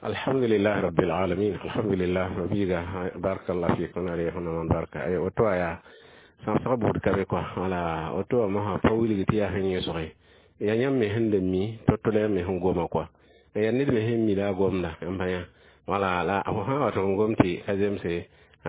Alhamdulillah rabbil alamin, alhamdulillah. Mabiga, barakallah fikum, ale hono man barka ay oto aya sãbsg buud ka be kɔa. Wala woto wã mosã pa wilg tɩ yaa sẽn yẽsge ya yãmb me sẽn da mi to-to la yãmb me sẽn goma kɔa, ya ned me sẽn mi la a gomda n pa yã. Wala la fo sã n wa tɩ f gom tɩ ka zemse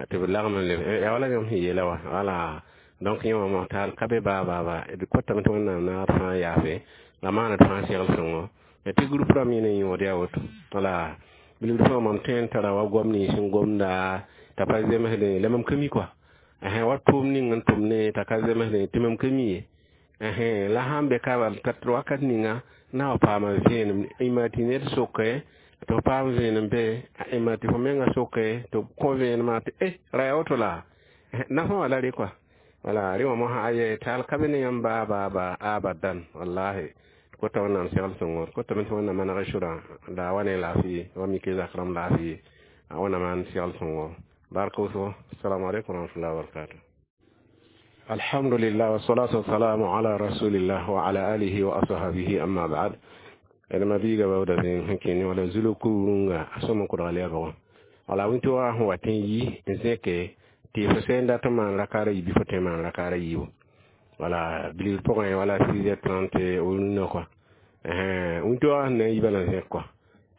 tɩ b lagem n leb ya wala yãmb sẽn yeela wa. Wala donc yẽ wã mos taal ka be baa baa baa d kotame tɩ Wẽnnaam naag d fãa yaafe la maana d fãa segl sõngo tɩ groupe rãmb yẽ ne yõod yaa woto. Wala bilgd fãa mam tõe n tara wa goam nins sẽn gomda t'a pa zemsdẽ la mam ka mi kɔa wa tʋʋm ning n tʋm ne t'a ka zemsdẽ tɩ mam ka mi ye. La sãn be ka bal t'a wakat ninga na wa paama vẽenem y tɩ ned soke tɩ f paam vẽenem be y tɩ fo menga soke tɩ b kõ vẽenemã tɩ e ra yaa woto la nafã wã la rẽ kɔa. Wala rẽ wã mosã aye taal ka be ne yãmb baa baa baa abadan. Wallahi kota Wẽnnaam segl sõngo kotame tɩ Wẽnnaam maneg sʋrã la wa ne laafɩ wa mik zak rãmb laafɩ Wẽnnaam maan segl sõngo barka wʋsgo. Assalamu alaikum warahmatullahi wabarakatuh. Alhamdulillah, wassalatu wassalamu ala rasulillah wa ala alihi wa ashabihi, amma ba'd. Ed mabiiga bawda sẽn kẽne wala zulug kurunga a sõm n kʋdg lɛɛbgã. Wala wĩnto wa sẽn wat n yi n zẽke tɩ fo sẽn dat n maan rakaara yiib fo tõe n maan rakaara yiibu. Wala bilgr pʋgẽ wala 6h30 rũnã kɔa wĩnto wa sẽn na n yi bala n zẽk kɔa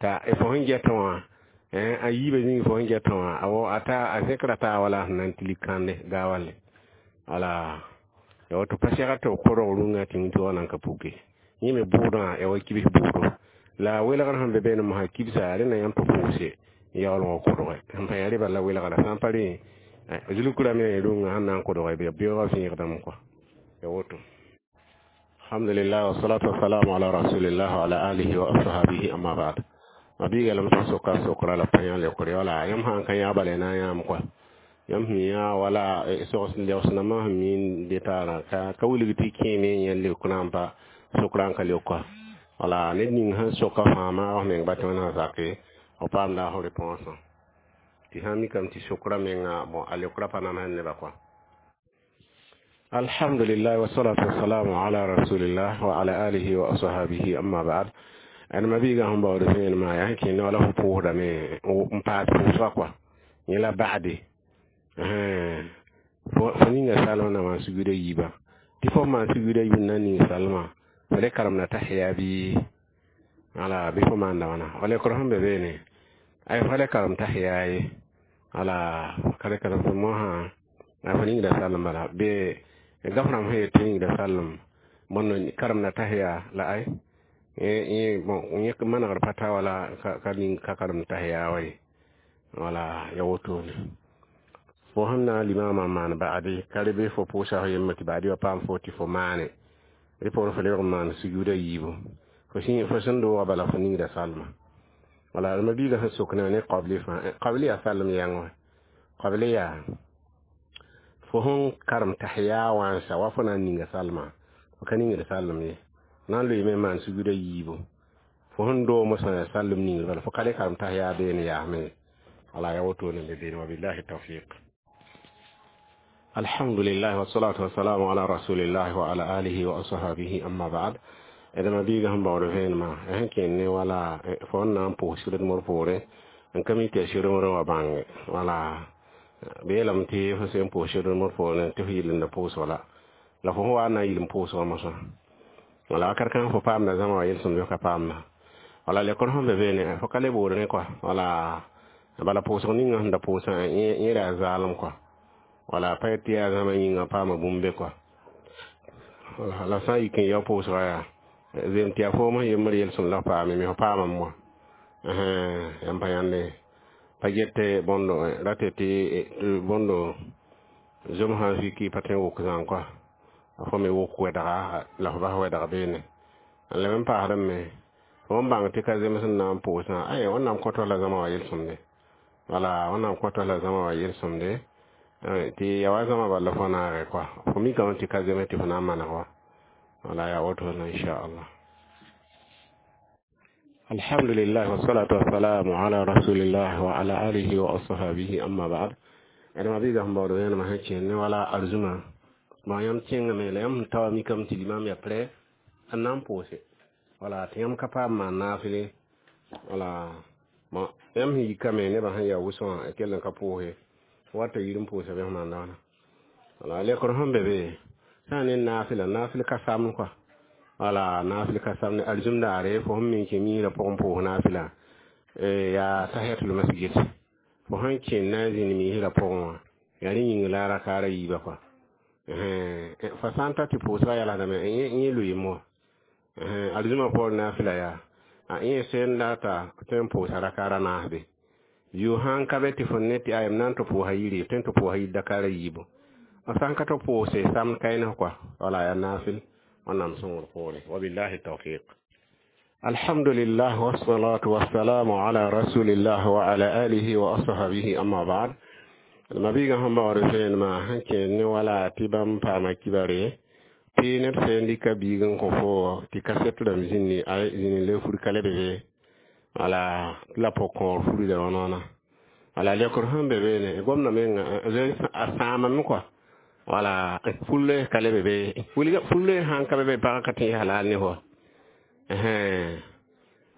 t'a fo sẽn gɛtẽ wã a yiibã zĩig fo sẽn gɛtẽ wã a ta a zẽkra taa wala sẽn na n tilg kãnde gaawale. Wala ya woto pa segd tɩ b kʋrg rũngã tɩ wĩnto wã nan ka puke yẽ me bʋʋdã ya wa kibs bʋʋdo la welgr sẽn be beene mosã kibsa rẽnda yãmb tɩ pʋʋse yaoolgã kʋdge sẽn pa yaa rɩ bala welgra sã n pa rẽ zulukra me rũngã sẽn na n kʋdge bɩ beoogã vẽegdame kɔa ya woto. Alhamdulillah, wassalatu wassalamu ala rasulillah wa ala alihi wa ashabihi, amma ba'd. Mabiiga lame tɩ soka sokra la pa yã leokre. Wala yãmb sã n ka yã bala na n yãam kɔa yãmb sẽn yã wala sogs legsnãmbã sẽn mi detaarã ka wilg tɩ kẽeme yẽ leokrã n pa sokra n ka leok kɔa. Wala ned ning sẽn soka fãa maag f meng ba tɩ Wẽnnaam zake f paamda f réponse tɩ sã n mikame tɩ sokra menga bon a leokra pa namsd nebã kɔa. Alhamdulillah, wassalatu wassalamu ala rasulillah wa ala alihi wa ashabihi, amma ba'd. Ad mabiiga sẽn baood vẽenemã yaa sẽn kẽne wala fo pʋʋsdame n paas pʋʋsga kɔa yẽ la ba'de fo ninga salma na maan suguda yiiba tɩ fo maan suguda yiib na ning salma fo le karemda tahiya bɩ wala bɩ fo maanda wãna wala lekr sẽn be beene ay fo le karem tahiya ye. Wala ka le karem mosã a fo ningda salem bala be gaf rãmb sẽn yet tɩ ningda salem bõnd karemda tahiya la ay bon yẽ manegr pa ta wala ka ning ka karem tahiya wa ye. Wala ya wotone fo sẽn na n limamã maan ba'ade ka rebe fo pʋʋsa fo yembre tɩ ba'ade wa paam fo tɩ fo maane rɩ poorẽ fo lebg n maan sujuuda yiibu fo sẽn doogã bala fo ningda salma. Wala mabiigã sẽn sok ne qabli fãa qabli yaa salem yãng wã qabli yaa fo sẽn karem tahiya wãnsa wa fo na n ninga salma fo ka ningd salem ye na n loeeme n maan sujuuda yiibu fo sẽn doog mosã yaa salem ningr bala fo ka le karem tahiya beene yaasme. Wala ya wotone be beene. Wabillahi tawfiq. Alhamdulillah, wassalatu wassalamu ala rasulillah wa ala alihi wa ashabihi, amma ba'd. D mabiiga sẽn baood vẽenemã sẽn kẽnd ne wala fo n na n pʋʋs sɩdmr poorẽ n ka mi tɩ yaa sɩdmr wã bãnge. Wala b yeelame tɩ fo sẽn pʋʋs sɩdmr poorẽ tɩ fo yɩl n da pʋʋsg la fo sẽn wa n na n yɩl n pʋʋsgã mosã. Wala wakat kãng fo paamda zãma wa yel-sõmd ka paamda. Wala lekr sẽn be beene fo ka le bood rẽ kɔa. Wala bala pʋʋsg ninga sẽn da pʋʋsã yẽ yaa zaalem kɔa. Wala pa tɩ yaa zãma yĩngã paama bũmb be kɔa. Wala la sã n yik n yao pʋʋsga yaa zem tɩ yaa foom sẽn yembr yel-sõmd la f paame me fo paamame wã yãmb pa yãnde pa get bõndo rate tɩ bõndo zom sã n fiki pa tõe n wʋk zãng kɔa fo me wʋk wɛdga la fo bas wɛdg beene n leb n paasdame me fo n bãng tɩ ka zems n na n pʋʋsã ay Wẽnnaam kõt la zãma wa yel-sõmde. Wala Wẽnnaam kõt la zãma wa yel-sõmde tɩ ya wa zãma bala fo naage kɔa fo mikame tɩ ka zems tɩ fo na n maneg wa. Wala ya woto inchallah. Alhamdulillah, wassalatu wassalamu ala rasulillah wa ala alihi wa ashabihi, amma ba'd. D mabiiga sẽn baood vẽenemã sẽn kẽnd ne wala arzũma bõn yãmb kẽngame la yãmb sẽn ta wa mikame tɩ limam yaa prɛ n na n pʋʋse. Wala tɩ yãmb ka paam maan naafɩle. Wala Bon, yãmb sẽn yikame nebã sẽn yaa wʋsg wã kell n ka pʋʋse wata yir n pʋʋsa bɩ f maan daana. Wala lekr sẽn be be sã n ne naafɩla, naafɩl ka samd kɔa. Wala naafɩl ka samd alizũm daare, fo sẽn me n kẽ miisrã pʋgẽ pʋʋs naafɩla yaa tahiyatul masjid, fo sẽn kẽ na n zĩnd miisrã pʋgẽ wã yaa rẽ yĩng la rakaara yiiba kɔa. Fa sã n ta tɩ pʋʋsgã yalsdame, yẽ loeem wã alizũmã poor naafɩla yaa a yẽ sẽn data tõe n pʋʋsa rakaara naas be. Yo sãn ka be tɩ fo ne tɩ ayem na n tɩ pʋʋsa yiri, tõe n tɩ pʋʋsa yir dakaara yiibu. A sãn ka tɩ pʋʋse samd kaɩns kɔa. Wala yaa naafɩl wẽnnaam sõngr poore. Wabillahi tawfiq. Alhamdulillah wassalatu wassalamu ala rasulillah wa ala alihi wa ashabihi, amma ba'd. Mabiiga sẽn baood vẽenemã sẽn kẽ ne wala tɩ bãmb paama kibare tɩ ned sẽn dɩka biig n kõ fo tɩ kaset rãmb zĩndi a zĩni le fur ka leb be wala la pʋg-kõor furda wã. Wala lekr sẽn be beene gomda menga a sãamame kɔa. Wala fur ka leb be, fur sãn ka be be pagã ka tẽ halal ne fo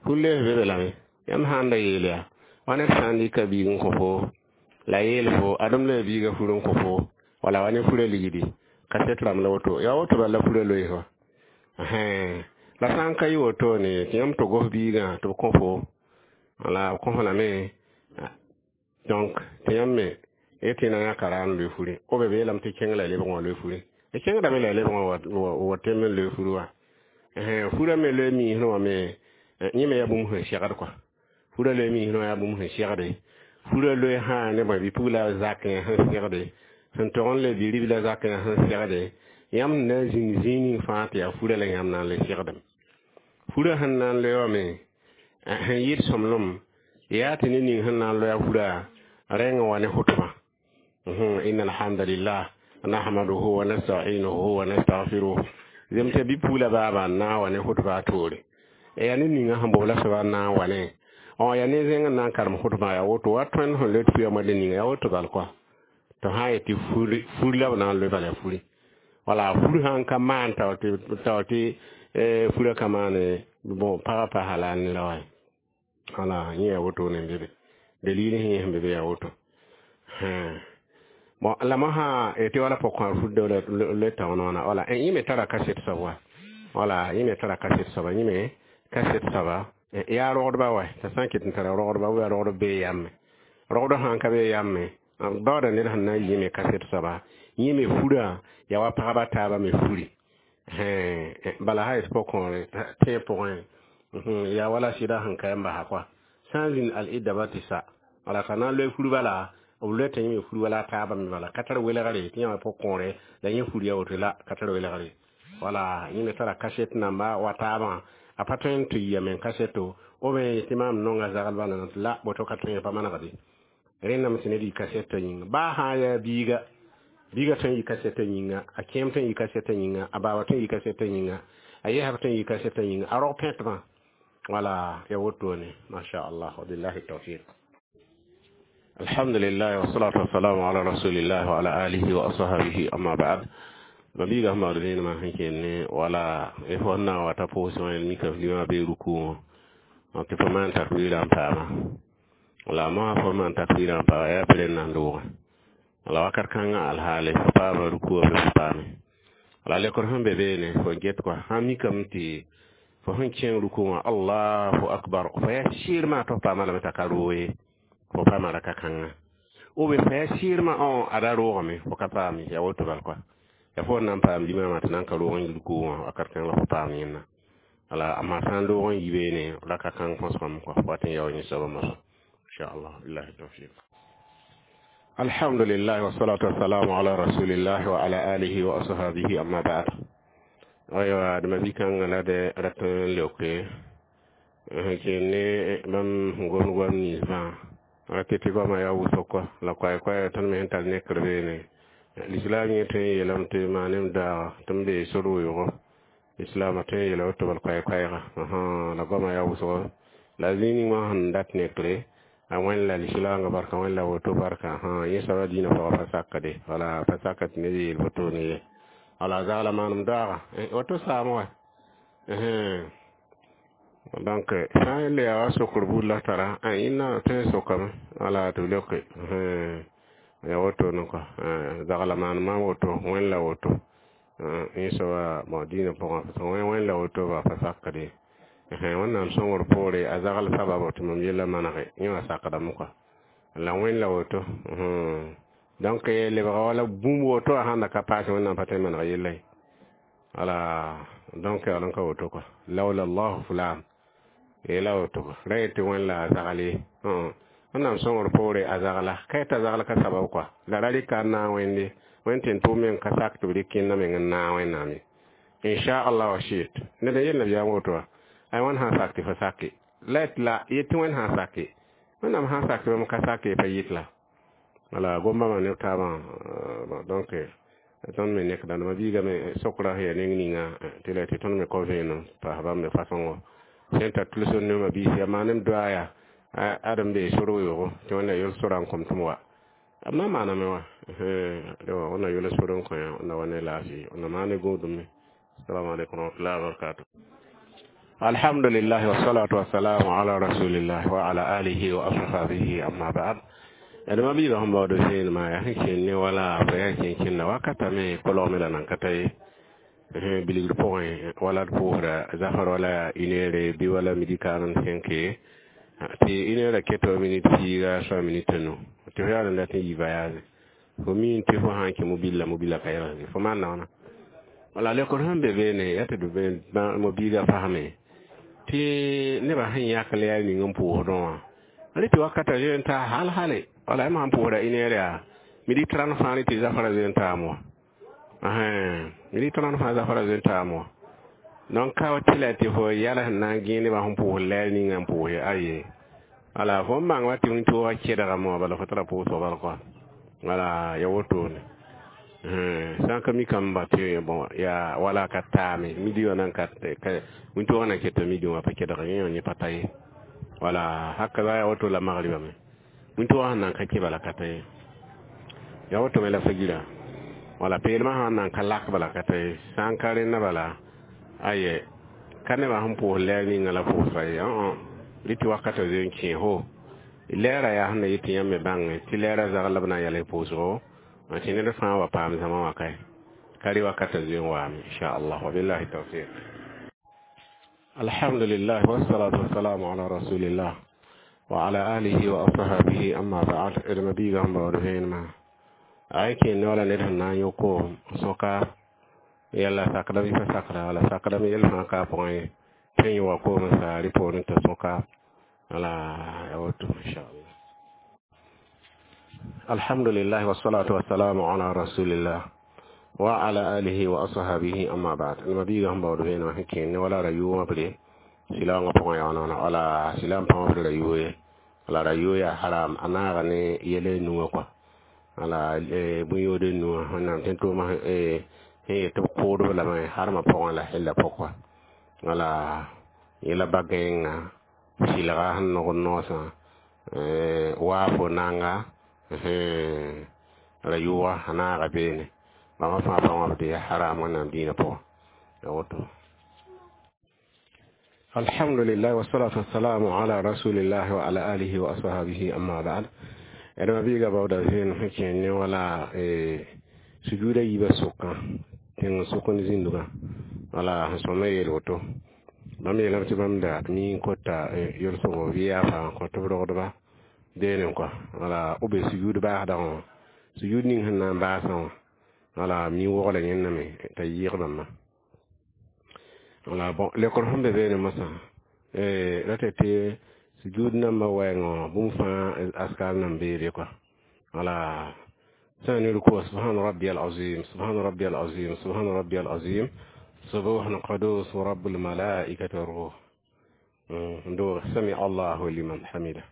fur be be lame. Yãmb sãn da yeel yaa wa ned sã n dɩka biig n kõ fo la yeel fo adem la biiga fur n kõ fo wala wa ne fura ligdi kaset rãmb la woto yaa woto bala fura loees wa. La sã n ka yɩ wotone tɩ yãmb tɩ gos biigã tɩ b kõ fo wala b kõ fo lame, donc tɩ yãmb me tɩ na yãka ra n loe furi o be beelame tɩ kẽng la lebg wã loe furi d kẽngdame la lebg wã wa tem n loe furi wã. Furã me loe miisẽ wã me yẽ me yaa bũmb sẽn segd kɔa. Furã loe miisẽ wã yaa bũmb sẽn segde. Furã loe sã ne bõe bi-pugla zakẽ sẽn segde, sẽn tog n le bi-ribla zakẽ sẽn segde. Yãmb na n zĩng zĩig ning fãa tɩ yaa furã la yãmb na n le segdem. Furã sẽn na n loe wã me sẽn yɩɩd sõmblem yaa tɩ ne ning sẽn na n loa furã rẽng wa ne hʋtbã: inna alhamdulillah nahmaduhu wa nasta'inuhu wa nastaghfiruh. Zem tɩ bi-pugla baaba n na n wa ne hʋtbã a toore yaa ne ninga sẽn bobla soaba n na n wa ne yaa ne zẽng n na n karem hʋtbã yaa woto wa tõend sẽn loe tɩ pʋyã ninga yaa woto bal kɔa. Tɩ sã n yet tɩ fur la b na n loe bala furi. Wala fur sãn ka maan tao tɩ furã ka maane, bon, pagã pa halal ne la wa. Wala yẽ yaa wotone n be be dalil sẽn yẽ sẽn be be yaa woto. Bon, la mosã tɩ wala pʋg-kõor fur le tao noona. Wala yẽ me tara kaset soab wa, wala yẽ me tara kaset soaba, yẽ me kaset soaba yaa rogdba wa. T'a sã n ket n tara rogdba yaa rogdb bee yame, rogd sãn ka bee yame baooda ned sẽn na n yɩ me kaset soaba yẽ me furã yaa wa pagba taabã me furi. Bala sã yet pʋg-kõore tẽeg pʋgẽ yaa wala sɩda sẽn ka n basa kɔa sã n zĩnd al-idda ba tɩ sa. Wala t'a na n loe fur bala b loe t'a yẽ me fur wala a taabã me bala ka tar welgre tɩ yã pʋg-kõore la yẽ fur ya woto la ka tar welgre. Wala yẽ me tara kaset namba wa taabã a pa tõe n tɩ yame kaseto o me tɩ maam nonga zaglba la la boto ka tõe pa manegde rẽndame tɩ ned yɩ kasetã yĩnga baa sã n yaa biiga, biiga tõe n yɩ kasetã yĩnga, a kẽem tõe n yɩ kasetã yĩnga, a baaba tõe n yɩ kasetã yĩnga, a yɛsb tõe n yɩ kasetã yĩnga, a rog pẽtbã. Wala ya wotone, masha Allah, wabillahi tawfiq. Alhamdulillah wassalatu wassalamu ala rasulillah wa ala alihi wa ashabihi, amma ba'd. Mabiiga sẽn baood vẽenemã sẽn kẽnd wala fo sẽn na n wa t'a pʋʋs wã mika limã bee ruku wã tɩ fo maan takbirã n paama. Wala mosã fo maan takbirã n paama yaa pɩrẽ n na n doogã. Wala wakat kãngã alhaale fo paama ruku wã bɩ fo paame. Wala lekr sẽn be beene fo get kɔa sãn mikame tɩ fo sẽn kẽng ruku wã allahu akbar, fo yaa sɩɩrmã tɩ fo paama lame t'a ka roog ye, fo paama raka kãngã ou bien fo yaa sɩɩrmã a ra roogame fo ka paame yaa woto bal kɔa. Ya fo na n paam limamã tɩ na n ka roog n yi ruku wã wakat kãng la fo paam yẽnna. Wala amma sã n roog n yi beene raka kãng põsgame kɔa fo wat n yao yẽ soabã mosã inshallah, billahi tawfiq. Alhamdulillah wassalatu wassalamu ala rasulillah wa ala alihi wa ashabihi, amma ba'd. Aywa dama bi kãngã la de rat n leoke sẽn kẽn ne bãmb sẽn gomd goam ninsbã tɩ tɩ goamã yaa wʋsg kɔa la koɛɛ-koɛɛg tõnd me sẽn tar nekr beene. Lislaam yẽ tõe n yeelame tɩ maanem daaga tɩ m bee sor weoogo lislaamã tõe n yeela woto bal koɛɛ-koɛɛga la goamã yaa wʋsgo la zĩig ning wã sẽn dat nekre a wẽnd la lislaangã barka wẽnd la woto barka yẽ soaba dĩinã pʋgã pa sakde wala pa saka tɩ ned yeel wotone ye. Wala zagla maanem daaga woto saam wa. Donc sã n le yaa wa sokr buud la tara a yẽnna tõe n sokame wala tɩ b leoke ya wotone kɔa zagla maan maam woto wẽn la woto yẽ soaba bon dĩinã pʋgã parce que wẽn la woto ba pa sakd ye Wẽnnaam sõngr poore a zagl sababo tɩ mam yella manege yẽ wã sakdame kɔa la wẽn la woto. Donc lebga wala bũmb woto a sãn da ka paase Wẽnnaam pa tõe n maneg yella ye. Wala donc yaool n ka woto kɔa laula allahu fulan yeela woto kɔa ra yetɩ wẽn la a zagl ye. Wẽnnaam sõngr poore a zagla ka yetɩ a zagl ka sabab kɔa la ra rɩka n naag Wẽnde wẽnd tɩ n tʋʋm meng ka sak tɩ b rɩk kẽndã meng n naag Wẽnnaam ye inchallah wa shit ned n yel nabiyaam woto wã ay wãn sãn sak tɩ fo sake la la yetɩ wẽnd sãn sake Wẽnnaam sãn sak tɩ bãmb ka sake pa yɩt la wala gom-bãmba neb taabã. Donc tõnd me nekda ma biigame sokra sẽn yaa neng ninga tɩ la tɩ tõnd me kao vẽenem paas bãmb me fasõngo sẽn tar tʋlsem ne ma biis yaa maanem doa yaa ad n bee sor weoogo tɩ Wẽnna yol sora n kõm tɩ m wa b na n maaname wã Wẽnna yola sor n kõ yã na wa ne laafɩ na maan ne gũudum. Assalamu alaikum warahmatullahi wabarakatuh. Alhamdulillah wassalatu wassalamu ala rasulillah wa ala alihi wa ashabihi amma ba'd. Adama biiga sẽn baood vẽenemã yaa sẽn kẽn ne wala fo yaa kẽn kẽnda wakata me kolgme la nan ka ta ye bilgr pʋgẽ wala d pʋʋsda zafar wala une heure bɩ wala midi 45 tɩ une heure keto minute piiga soa minute nu tɩ fo yaool n dat n yi voyage fo mi tɩ fo sã n kẽ mobile la mobile ka yɛlsge fo maan wãna wala lekr sẽn be beene yaa tɩ d mobiiga fasme tɩ nebã sẽn yãk la yaa ning n pʋʋsdẽ wã rɩ tɩ wakata zoe n taa hal hale wala m sãn pʋʋsda une heure yaa midi 30 fãa rɩ tɩ zafara zoe n taam wã midi 30 fãa zafara zoe n taam wã. Donc ka tɩ la tɩ fo yɛl sẽn na n gẽe nebã sẽn pʋʋs lɛɛr ninga n pʋʋse aye wala fo n bãng wa tɩ wĩntoogã kẽdgame wã bala fo tara pʋʋsg bal kɔa wala ya wotone sã n ka mikame ba tɩ bon yaa wala ka taame midi wã nan ka wĩntoogã na keta midi wã pa kẽdg yẽ wã yẽ pa ta ye wala haka za ya woto la magriba me wĩntoogã sẽn nan ka kẽ bala ka ta ye ya woto me la fagira wala peelmã sã n nan ka lak bala ka ta ye sã n ka rẽnna bala aye ka nebã sẽn pʋʋs lɛɛr ninga la pʋʋsra ye rɩ tɩ wakata zoe n kẽ fo lɛɛra yaa sẽn na yet tɩ yãmb me bãnge tɩ lɛɛrã zagl la b na n yɛls pʋʋsgo tɩ ned fãa wa paam zãma wã kae ka rɩ wakata zoe n waame inchallah wabillahi tawfiq. Alhamdulillah wassalatu wassalamu ala rasulillah wa ala alihi wa ashabihi amma ba'd. Edma biiga sẽn baood vẽenemã ay kẽn ne wala ned sẽn na n yõk koom sõka yɛla sakdame pa sakda wala sakdame yɛl fãa ka a pʋgẽ ye tɩ n yõ wa koom n sa rɩ poorẽ t'a sõka wala ya woto inchallah. Alhamdulillah wassalatu wassalamu ala rasulillah wa ala alihi wa ashabihi amma ba'd. Ma biiga sẽn baood vẽenemã sẽn kẽn ne wala ra yʋʋmã bre silaoongã pʋgẽ yaa wãna wala silaam pãng b ra yʋʋ ye wala ra yʋʋ yaa haram a naaga ne yɛl nuwã kɔa wala bũn-yood nuwã Wẽnnaam tẽn tʋʋmã sẽn yet tɩ b kʋʋdb lame harmã pʋgẽ la hella pʋgã wala yẽla ba-gãenga sɩlga sẽn nog n noosã waafo nanga ra yʋʋga a naaga beene bãmba fãa pa wãbd yaa haram Wẽnnaam dĩinã pʋgã ya woto. Alhamdulillah wassalatu wassalamu ala rasulillah wa ala alihi wa ashabihi amma ba'd. Adama biiga baooda vẽenem sẽn kẽ ne wala sujuuda yiibã sʋkã tẽng sʋk n zĩndgã wala sẽn sõma yeel woto bãmb yeelame tɩ bãmb da mi n kota yel-sõgo bɩ yaafa n kõ tɩ b rogdba deene kɔa wala b be sujuud baasdã wã sujuud ning sẽn na n baasã wã wala mi wogla yẽnname t'a yɩɩg bãmba wala bon lekr sẽn be beene mosã ra tɩ tɩ sujuud nambã wɛɛngã bũmb fãa askar nan beede kɔa wala sã n ruku subhana rabbiyal azim subhana rabbiyal azim subhana rabbiyal azim subuhun qudus rabbul malaikati war ruh ndo sami Allahu liman hamida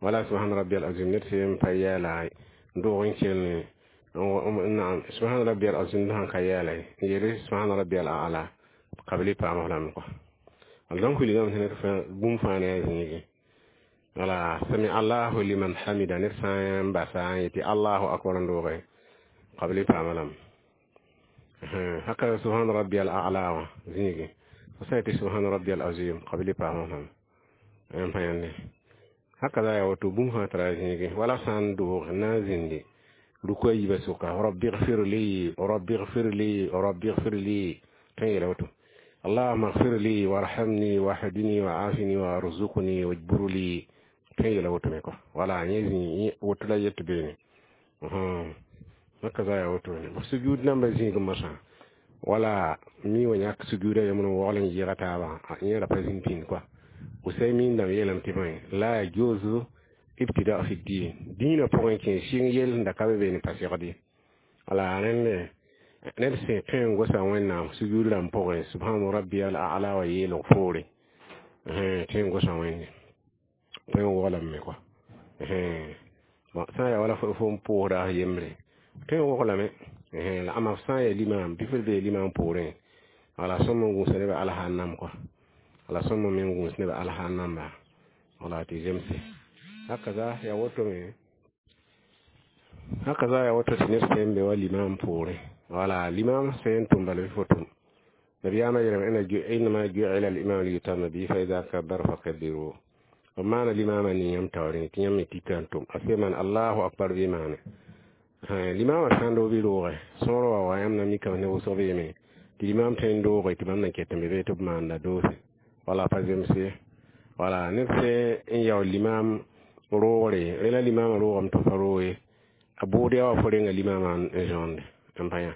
wala subhana rabbiyal azim ned sẽn pa yɛɛla ndog n kell naam subhana rabbiyal azim sãn ka yɛɛla n yele subhana rabbiyal a'la qabli paam lame kɔa donc wilgame tɩ ned bũmb fãa ne a zĩige wala sami Allahu liman hamida ned sã n basa n yetɩ Allahu akbar n dooge qabli paama lame haka subhana rabbiyal a'la wã zĩige Fo sã n yetɩ subhana rabbi al azim qabli paam fãma n pa yãnde haka ya woto bũmb fãa tara zĩige wala sã n doog n na n zĩndi ruku a yiibã sʋka rabbi gfir li rabbi gfir li rabbi gfir li tõe n yeela woto اللهم اغفر لي وارحمني واهدني وعافني وارزقني واجبر لي tõe n yeela woto me kɔ wala yẽ zĩ woto la yet beene haka za ya woto ne sujud namba zĩig mosã wala mi wa yãk sujuda yembre n waoogl n yɩɩga taabã yẽ ra pa zĩnd pĩnd kɔa Usaymin dãmb yeelame tɩ bõe la yajuzu ibtida fi din dĩinã pʋgẽ kẽ sɩng yell sẽn da ka be beene pa segd ye wala rẽnd ned sẽn tõe n gosa Wẽnnaam sujud rãmb pʋgẽ subhana rabbi al a'la wa yeelg foore tõe n gosa Wẽnde tõe n woglame kɔa bon sã n yaa wala fo n pʋʋsda f yembre tõe n woglame la ama f sã n yaa limam bɩ f bee limam poorẽ wala sõm n gũusa nebã alhaanam kɔa wala sõm me n gũus nebã alhaan namba wala tɩ zemse hakaza ya woto me hakaza ya woto tɩ ned sẽn be wa limam poorẽ wala limam sẽn tʋm bala bɩ fo tʋm nabiyaamã yeelame innama ju'ila al-imam liyutamma bihi fa idha kabbara fakabbiru b maana limamã ning yãmb taoorẽ tɩ yãmb me tika n tʋm a sẽn maan allahu akbar bɩ maane limamã sã n doog bɩ roogɛ sõor wa wa yãmb na mikame ne wʋsg beeme tɩ limam tõe n dooge tɩ bãmb na ket n be bee tɩ b maanda doose wala pa zemse wala ned sẽn n yao limam roogre rẽ la limamã roogame tɩ fa roog ye a bʋʋd yaa wa fo renga limamã n zõonde n pa yã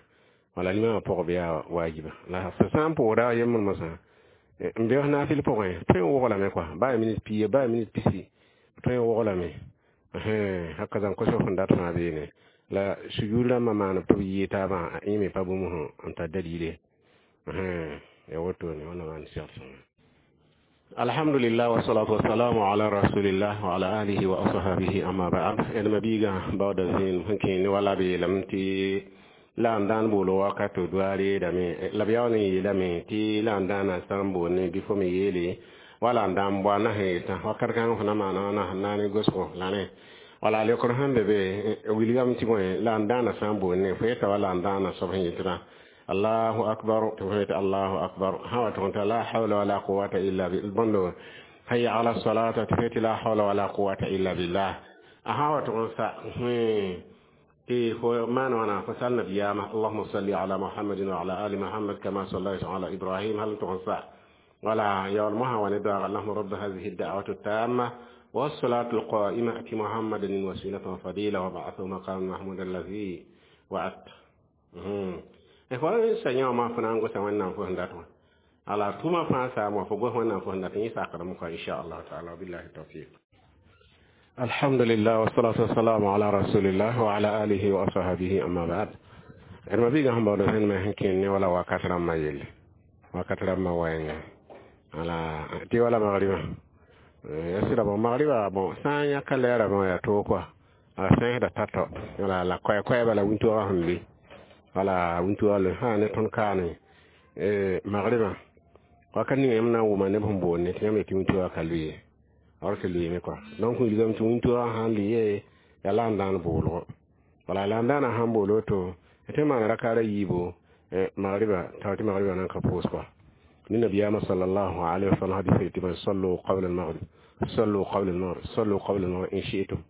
wala limamã pʋgb yaa wajiba la sã n pʋʋsda a yembr mosã n beoos naafɩl pʋgẽ tõe n woglame kɔa baa minit pia baa minit pisi tõe n woglame haka zãn kosg sẽn dat fãa beene la sujud rãmbã maaneb tɩ b yɩɩ taabã a yẽ me pa bũmb n tar dalile ya wotone wẽnna maan segd sõnga. Alhamdulillah wassalatu wassalamu ala rasulillah wa ala alihi wa ashabihi amma ba'd. Ed mabiiga baooda zĩen sẽn kẽene wala b yeelame tɩ la n dãan boolo wakato doa reedame la b yaool n yeelame tɩ la n dãana sã n boonne bɩ fo me yeele wala n dãan boa na sẽn yetã wakat kãng fo na maana wãna sẽn na ne gosgo la rẽ wala leokr sẽn be be wilgame tɩ bõe la n dãana sã n boonne fo yeta wala n dãana soab sẽn yetɩdã allahu akbar tɩ fo yetɩ allahu akbar sã wa tʋg t'a la hawla wala quwata illa bõndo hayya ala salata tɩ fo yetɩ la hawla wala quwata illa billah a sã wa tʋg n sa tɩ fo maan wãna fo sal nabiyaamã allahuma salli ala muhammadin wa ala ali muhammad kama sallayta ala ibrahim hal n tʋg n sa wala yaool mosã wa ne doaga allahuma rabba hadihi da'watu tamma والصلاة القائمة أتي محمدا الوسيلة والفضيلة وبعثه مقام محمود الذي وعدت fo sa yãoma fo na n gosa wẽnnaam fo sẽn dat wã ala tʋʋmã fãa saam wã fo gos wẽnnaam fo sẽn dat yẽ sakrame kɔa inchallah taala wabillahi tawfiq. Alhamdulillah wassalatu wassalamu ala rasulillah wa ala alihi wa ashabihi amma ba'd. D ma biigã sẽn baood sẽn me sẽn kẽnd ne wala wakat rãmbã yelle wakat rãmbã wɛɛnga ala tɩ wala magribã ya sɩda bon magriba bon sã n yãka lɛɛra bõ yaa toog kɔa a sẽsda tatɔ wala la koɛ-koɛɛba la wĩntoogã sẽn be wala wĩntoogã le sã ne tõnd kaane magribã wakat ninga yãmb na n wʋma neb sẽn boonde tɩ yãmb yetɩ wĩntoogã ka lʋɩ ye or tɩ lʋɩɩme kɔa donc wilgame tɩ wĩntoogã sãn lʋɩ ye yaa la n dãan boolgo wala la n dãana sãn bool woto tɩ maan rakaara yiibo magriba tao tɩ magriba nan ka pʋʋs kɔa ni nabiyaamã sallallahu alaihi wasallam hadisa tɩ sallu qabla al-maghrib sallu qabla al-maghrib sallu qabla al-maghrib in shi'tum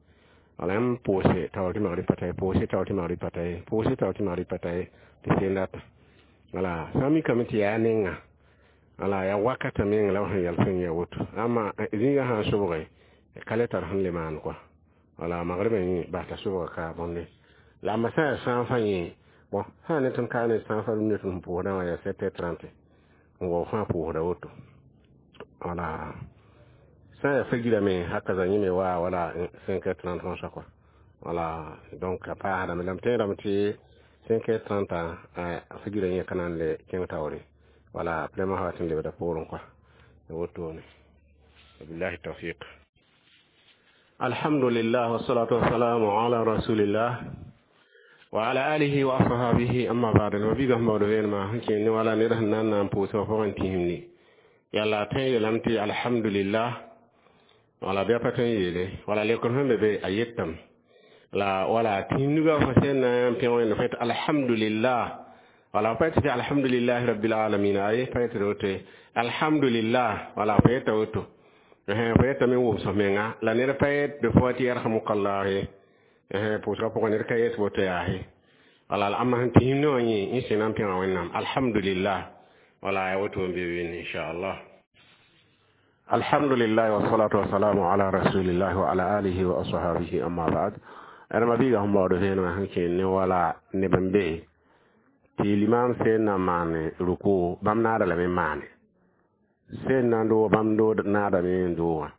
wala yãmb pʋʋse tao tɩ magrib pa ta ye pʋʋse tao tɩ magrib pa ta ye pʋʋse tao tɩ magrib pa ta ye tɩ seen data wala sã n mikame tɩ yaa nenga wala yaa wakata meng la sẽn yɛl sẽn yaa woto ama zĩigã sã n sobge ka le tar sẽn le maan kɔa wala magribã yẽ bas t'a sobga ka bõnde la amma sã n yaa sãn fã yẽ bon sã n ne tõnd kaa ne sãn fã rũndã tɩ sẽn pʋʋsdã wã yaa 7h30 n wa fãa pʋʋsda woto wala sã n yaa fagira me haka za yẽ me wa wala 5h30 wã kɔa wala donc a paasdame la m tẽedame tɩ 5h30 a fagira yẽ ka na n le kẽng taoore wala vraiment wa tɩ n lebda poorẽ kɔa wotone wabillahi tawfiq. Alhamdulillah wassalatu wassalamu ala rasulillah wa ala alihi wa ashabihi amma ba'd. Ma biga mawdo veenma sẽn kẽnd ne wala ned sẽn na n na n pʋʋsã pʋgẽ tĩsimni yalla tõe yeelame tɩ alhamdulillah wala bɩa pa tõe n yeele wala lekr sẽn be be a yetame la wala tĩm nugã fo sẽn na n pẽ wẽnd fo alhamdulillah Wala pa yetɩ alhamdulillahi rabbil alamin, aye, pa yetɩ woto ye. Alhamdulillah, wala fo yeta woto, fo yetame n wʋms f menga. La ned pa yet be fo tɩ yarhamukallah ye, pʋʋsgã pʋgẽ ned ka yet woto yaa ye. Wala la amma sẽn tɩ hĩmne wã yẽ n sẽna n pẽga Wẽnnaam, alhamdulillah, wala ya woto n be wẽnde, inchallah. Alhamdulillah, wassalatu wassalamu ala rasulillah wa ala alihi wa ashabihi, amma ba'd. Adama biiga sẽn baood vẽenemã sẽn kẽer ne wala neb n be tɩ limam sẽn na maane ruku, bãmb naada lame n maane sẽn na n doog, bãmb naadame n doogã.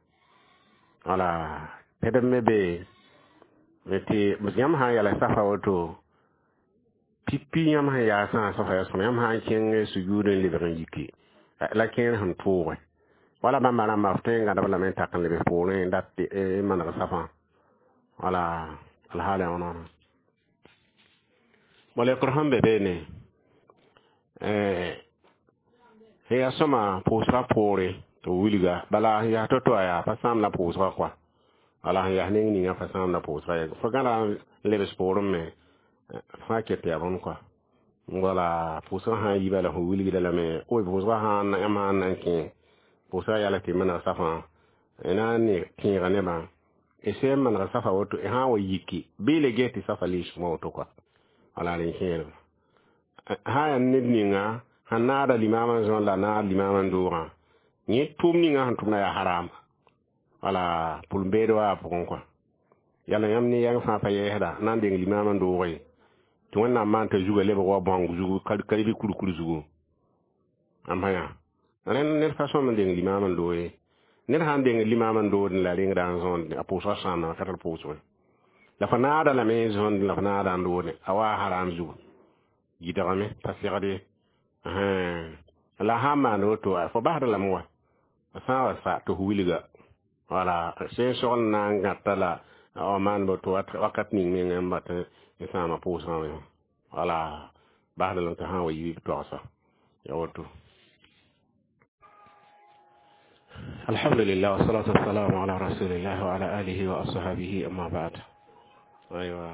Wala pɛdb me be tɩ yãmb sã n yala safa woto pipi, yãmb sẽn yaasã safa ya sõma, yãmb sã n kẽng sujuud n lebg n yiki la kẽer sẽn tʋʋge, wala bãmba rãmba f tõe n gãdb lame n tak n leb poorẽ n dat n maneg safã. Wala alhaala wãna malɛkr sẽn be beene sẽn yaa sõma pʋʋsgã poore tɩ b wilga. Bala sẽn yaa to-to a yaa pa sãam la pʋʋsgã kɔa. Wala sẽn yaa neng ninga pa sãam la pʋʋsgã ye, fo gãda n lebs poorẽ me fãa ket yaa bõn kɔa. Wala pʋʋsgã sã n yi bala fo wilgda lame o pʋʋsgã sã yãmb sã n na n kẽ pʋʋsgã yala tɩ maneg safã na n ne tẽega nebã y sẽn maneg safa woto, y sã n wa yiki bɩ le ges tɩ safa liismã woto kɔa. Wala rẽ kẽerba sã yaa ned ninga sẽn naada limamã zõn la naad limamã doogã, yẽ tʋʋm ninga sẽn tʋmda yaa harama. Wala pʋl-beed wa a pʋgẽ kɔa. Yala yãmb ne yɛng fãa pa yɛɛsda na n deng limamã doog ye, tɩ Wẽnnaam maan t'a zugã lebg wa bãong zugu, karibi kurkur zugu. Ãmba yã rẽnd ned pa sõm n deng limamã doog ye. Ned sã n deng limamã doodẽ la rengda n zõond, a pʋʋsgã sãamdã ka tar pʋʋsg la fo naada lame n zõnd la fo naada n doodẽ, a waa haram zugu gɩdgame pa segd ye. La sã n maan woto, fo basd lame wa sã n wa sa tɩ f wilga. Wala sẽn sogl na n gãta la a maan woto wakat ning mengã n bat n sãama pʋʋsgã wã. Wala basd lame tɩ sã n wa yi b togsa ya woto. Alhamdulillah, wassalatu wassalamu ala rasulillah wa ala alihi wa ashabihi, amma ba'd. Aywa,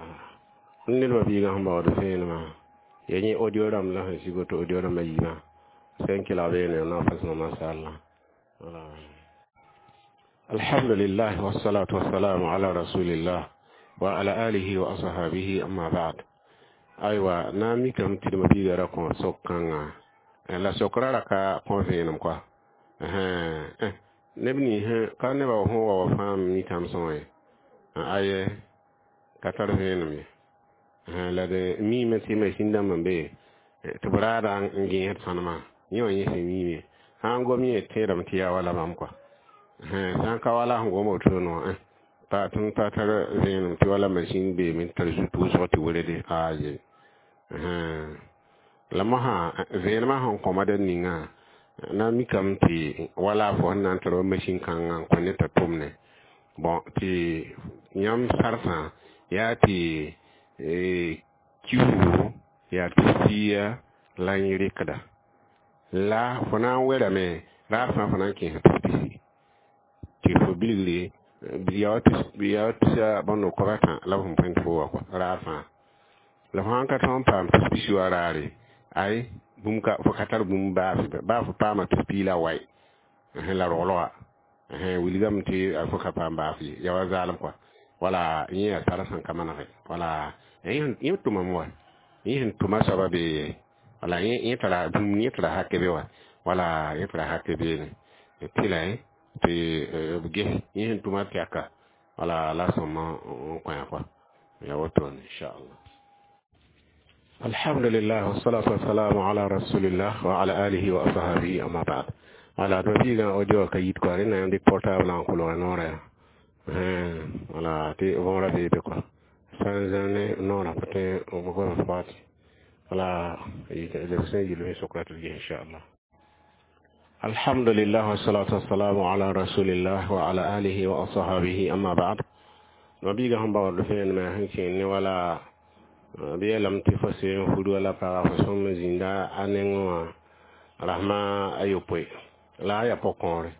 ned biiga sẽn baood vẽenemã ya yẽ audio rãmb la sẽn sig woto, audio rãmbã yiibã sẽn kelg beene na fasẽng, mashallah. Wala alhamdulillah, wassalatu wassalamu ala rasulillah wa ala alihi wa ashabihi, amma ba'd. Aywa, na n mikame tɩ d biiga ra kõ sok-kãngã la sokra ra ka kõ vẽenem kɔa. Neb nins ka nebã sẽn wa wa fãa mitame sõa ye, aye, ka tar vẽenem ye. La d miime tɩ masin dãmb n be tɩ b raada n gẽesd sõnema yẽ wã yẽ sẽn miime sã n gom yẽ tẽedame tɩ yaa wala bãmb kɔa. Sã n ka wala sẽn gom wotone wã pa tɩ n pa tar vẽenem tɩ wala masin beeme n tar zut wʋsg tɩ werede aye. La mosã vẽenemã sẽn kõma dẽn ninga na n mikame tɩ wala fo sẽn na n tar wa masin kãngã n kõ ned t'a tʋmne bõn tɩ yãmb sarsã yaa tɩ kiuugo yaa tus-piiga la yẽ rɩkda la fo na n werame raar fãa fo na n kẽesa tus-pisi tɩ fo bilgre yaa tusa bõn kob-a-tã la b sẽn põe tɩ fo wa kɔa raar fãa. La fo sãn ka tõog n paam tus-pisi wa raare, ay, bũmb ka fo ka tar bũmb baa fo paama tus-pii la wae la roglga wilgame tɩ fo ka paam baaf ye, yaa wa zaalem kɔa. Wala yẽ yaa sar sẽn ka manege. Wala yẽ tʋmame wa yẽ sẽn tʋma soaba bee, wala yẽ tara bũmb, yẽ tara hake be wa, wala yẽ tara hake beene tɩ la tɩ b ges yẽ sẽn tʋma tɛka. Wala la sõma n kõ kɔa ya wotone, inchallah. Alhamdulillah, wassalatu wassalamu ala rasulillah wa ala alihi wa ashabihi, amma ba'd. Wala to biiga audio ka yit kɔa rẽnda yãmb dɩk portable n kolg noorã ya. Wala tɩ võora bee be kɔa sã n zã ne noorã pa tõe n gom faati. Wala lebg sẽn yɩl sokra tɩ d ges, inchallah. Alhamdulillah, wassalatu wassalamu ala rasulillah wa ala alihi wa ashabihi, amma ba'd. No biiga sẽn baood vẽenemã sẽn kẽer ne wala b yeelame tɩ fo sẽn fud wala paga fo sõm zĩnda a nengẽ wã rasma a yopoe la a yaa pʋg-kõore.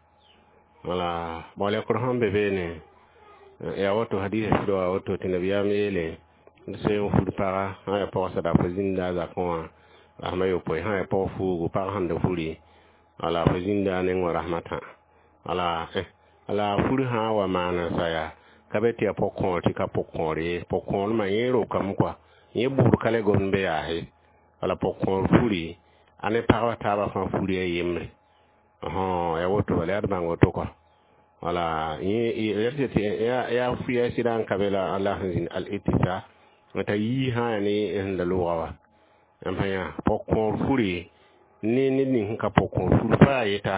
Wala bõlekr sẽn be beene yaa woto, hadisa sɩd wa woto tɩ nabiyaam yeele d sẽn fud paga sã n yaa pɔgsda fo zĩnda a zakẽ wã Rahma yopoe sã ya pɔg fuugu pag sẽn da furi wala fo zĩnda a neng wã rahmatã wala la furi sã n wa maan n sa yaa ka be tɩ yaa pʋg-kõor tɩ ka pʋg-kõor ye pʋg-kõormã yẽ rokame kɔa yẽ bʋʋd ka le gomd be yaa ye wala pʋg-kõor furi a ne pagba taabã fãa furi a yembre ya woto bala yaa d bãng woto kɔa wala yaa yaa sɩda n ka be la Allah sẽn zĩnd al-ittisa t'a yii sã yaa ne sẽn da loogã wa n pa yã pʋg-kõor furi ne ned ning sẽn ka pʋg-kõor fur pa yaa yeta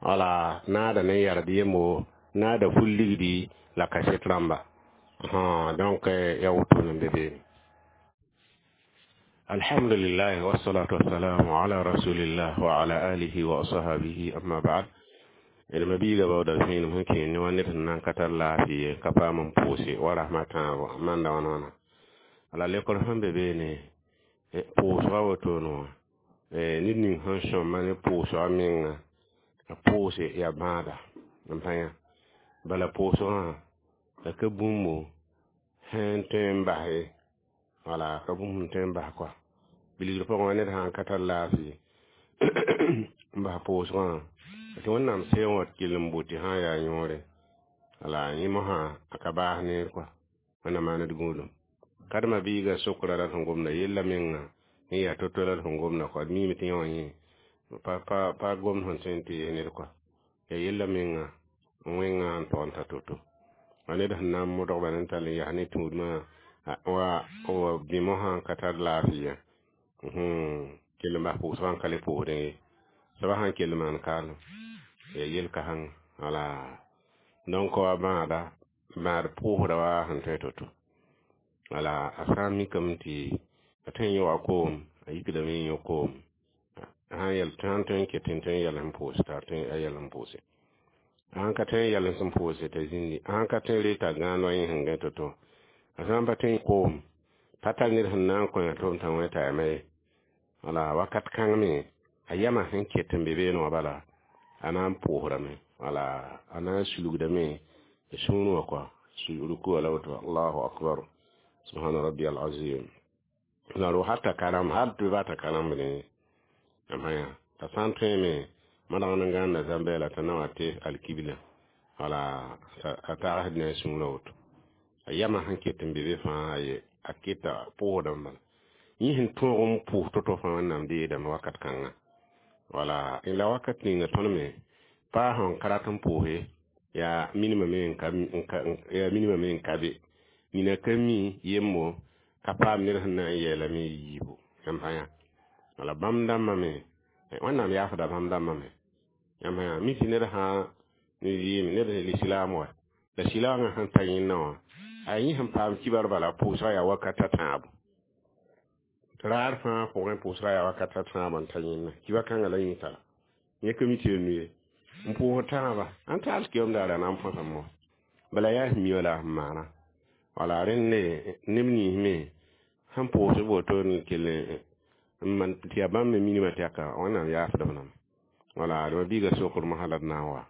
wala naada ne yard yembo naada fur ligdi la kaset rãmba donc ya woto n be beene. Alhamdulillah wassalatu wassalamu ala rasulillah wa ala alihi wa ashabihi amma ba'd. D ma biiga baooda vẽenem sẽn kẽer ne wa ned sẽn na n ka tar laafɩ ye ka paam n pʋʋse wa rasmã tãabo manda wãna wãna la lekr sẽn be beene pʋʋsga wotone wã ned ning sẽn sõma ne pʋʋsga menga a pʋʋse yaa bãada n pa yã bala pʋʋsgã la ka bũmbo sẽn tõe n bas ye wala ka bũmb sẽn tõe n bas kɔa bilgr pʋgẽ wã ned sã n ka tar laafɩ n bas pʋʋsgã tɩ Wẽnnaam seeng wã kell n botɩ sã n yaa yõore wala yẽ mosã a ka baas neer kɔa Wẽnnaam maan d gũudum kadma biiga sokra la sẽn gomda yella menga n yaa to-to la sẽn gomda kɔa d miime tɩ yẽ wã yẽ pa pa gomd sẽn tõe n tɩ yes ned kɔa yaa yella menga n wẽngã n tog n ta to-to wa ned sẽn na n modgba n tall n yas ne tũudmã wa wa bĩ mosã n ka tar laafɩ ye kell n bas pʋʋsgã n ka le pʋʋsdẽ ye soaba sãn kell n maan kaalem yaa yel-kãseng wala donc wa bãada bãad pʋʋsda wa sẽn tõe to-to wala a sã n mikame tɩ a tõe n yaoa koom a yikdame n yõ koom sãn yɛl sãn tõe n ket n tõe n yɛl sẽn pʋʋs t'a tõe a yɛl n pʋʋse sãn ka tõe n yɛl sẽn pʋʋse t'a zĩndi sãn ka tõe reta gãan wa yẽ sẽn gã to-to a sã n pa tõe n koom pa tar ned sẽn na n kõ tʋm t'a wẽ t'a yama ye wala wakat kãng me a yama sẽn ket n be beene wã bala a na n pʋʋsdame wala a na n sulgdame sũur wã kɔa ruku wala woto allahu akbar subhana rabbi alazim la ro hata karam hal tɩ ba ta karam ne amaya t'a sã n tõe me madg n gãnda zãmbɛɛla t'a na wa tɩ alkibla wala a tagsd ne a sũurã woto a yama sẽn ket n be be fãa ye a keta pʋʋsdame bala yẽ sẽn tõog n pʋʋs to-to fãa Wẽnnaam deedame wakat kãnga wala la wakat ninga tõnd me paa sẽn ka rat n pʋʋse yaa minimã me yaa minimã me n ka be nina ka mi yembo ka paam ned sẽn na n yeelame yiibu yãmb sã yã wala bãmb dãmbã me Wẽnnaam yaasda bãmb dãmbã me yãmb sã yã mi tɩ ned sã n yɩɩm ned lislaam wa la silaangã sẽn ta yẽnna wã a yẽ sẽn paam kibar bala pʋʋsga yaa wakat a tãabo raar fãa pʋgẽ pʋʋsga yaa wakat a tãabo n ta yẽnna kiba kãngã la yẽ tara yẽ ka mi tɩ ya nu ye n pʋʋs tãaba ãn taal keoom daara na n põsame wã bala yaa sẽn mi wala sẽn maana wala rẽnd neb nins me sẽn pʋʋs woto n kell n man tɩ yaa bãmb me minimã tɛka Wẽnnaam yaasd b name wala d ma biiga sokr mosã la d na n wa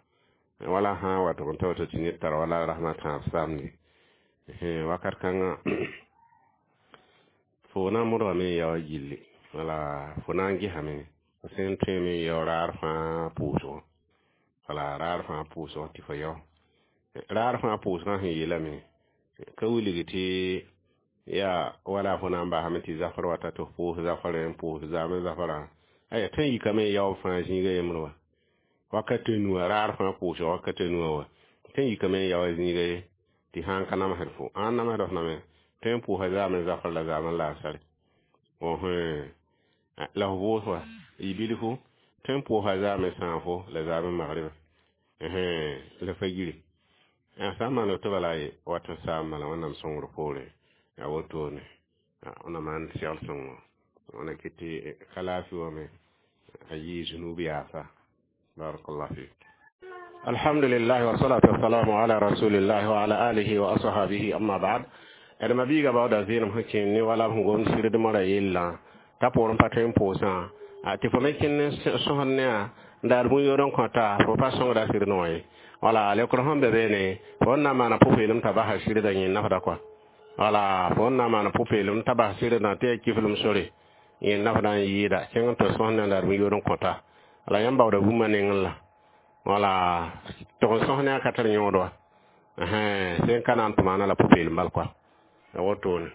wala sã n wa tɩ n ta woto tɩ ned tar wala rasmã tãab samdi wakat kãngã fo na n modgame n yao gilli wala fo na n gesame fo sẽn tõeme n yao raar fãa pʋʋsgõ wala raar fãa pʋʋsgõ tɩ fo yao raar fãa pʋʋsgã sẽn yeelame ka wilg tɩ yaa wala fo na n basame tɩ zafr wata tɩ f pʋʋs zafrẽ n pʋʋs zaamẽ zafrã aya tõe n yikame n yao fãa zĩiga yembr wa wakat a nuwã raar fãa pʋʋsg wakat a nuwã wa tõe n yikame n yao zĩiga ye tɩ sãn ka namsd fo sãn namsd f name tõe n pʋʋsa zaamẽ zafr la zaamẽ laasare la f vʋʋs wa y bilfu tõe n pʋʋsa zaamẽ sãafo la zaamẽ magrɩba la fagiri sã n maan woto bala ye wat n saam bala Wẽnnaam sõngr poore yaa wotone wẽnnaam maan segl sõngo wẽna kɩ tɩ ka laafɩ wã me a yɩɩ zunub yaasa barakallah fik. Alhamdulillah wassalatu wassalamu ala rasulillah wa ala alihi wa ashabihi amma ba'd. D ma biiga baooda vẽenem sẽn kẽen ne wala b sẽn gomd sɩrdmã ra yellã t'a poorẽ pa tõe n pʋʋsã tɩ fo me kẽnd sõsd ne a n daar bũn-yood n kõta fo pa sõngda sɩd wã ye wala lekr sẽn be beene fo n na n maana pʋ-peelem t'a basa sɩdda yẽ nafda kɔa wala fo n na n maana pʋ-peelem t'a bas sɩdda tɩ yaa kiflem sore. Yẽ nafdã n yɩɩda kẽng n tɩ sõs nanda d bũn-yood n kõta la yãmb baooda bũmba nengẽ la wala tɩg n sõs ne a ka tar yõod wa sẽn ka na n tʋ maana la pʋ-peelem bal koa a wotone.